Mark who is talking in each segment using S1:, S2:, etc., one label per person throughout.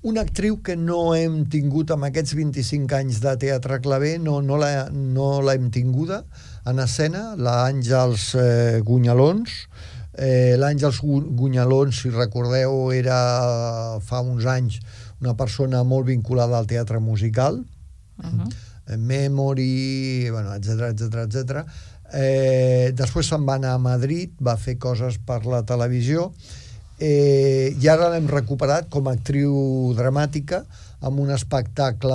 S1: Una actriu que no hem tingut amb aquests 25 anys de teatre claver, no l'hem tinguda en escena, l'Àngels Gunyalons. L'Àngels Gunyalons, si recordeu, era fa uns anys una persona molt vinculada al teatre musical, Memory, etc. Després se'n va anar a Madrid, va fer coses per la televisió, i ara l'hem recuperat com a actriu dramàtica amb un espectacle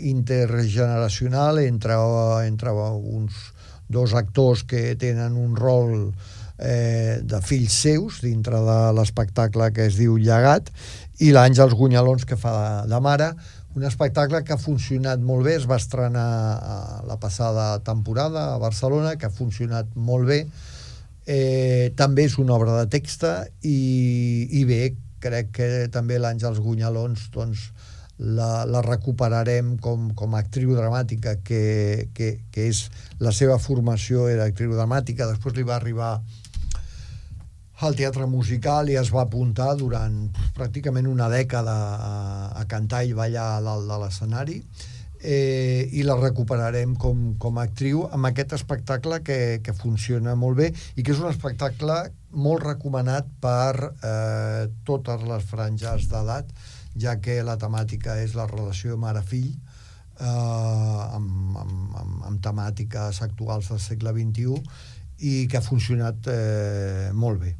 S1: intergeneracional entre uns dos actors que tenen un rol de fills seus dintre de l'espectacle que es diu Llegat, i l'Àngels Gunyalons, que fa de mare. Un espectacle que ha funcionat molt bé, es va estrenar la passada temporada a Barcelona, que ha funcionat molt bé. També és una obra de text i bé, crec que també l'Àngels Gunyalons doncs, la recuperarem com a actriu dramàtica, que és la seva formació, era actriu dramàtica. Després li va arribar al teatre musical i es va apuntar durant pràcticament una dècada a cantar i ballar a dalt de l'escenari, i la recuperarem com a actriu amb aquest espectacle que funciona molt bé i que és un espectacle molt recomanat per totes les franges d'edat, ja que la temàtica és la relació mare-fill, amb temàtiques actuals del segle XXI, i que ha funcionat molt bé.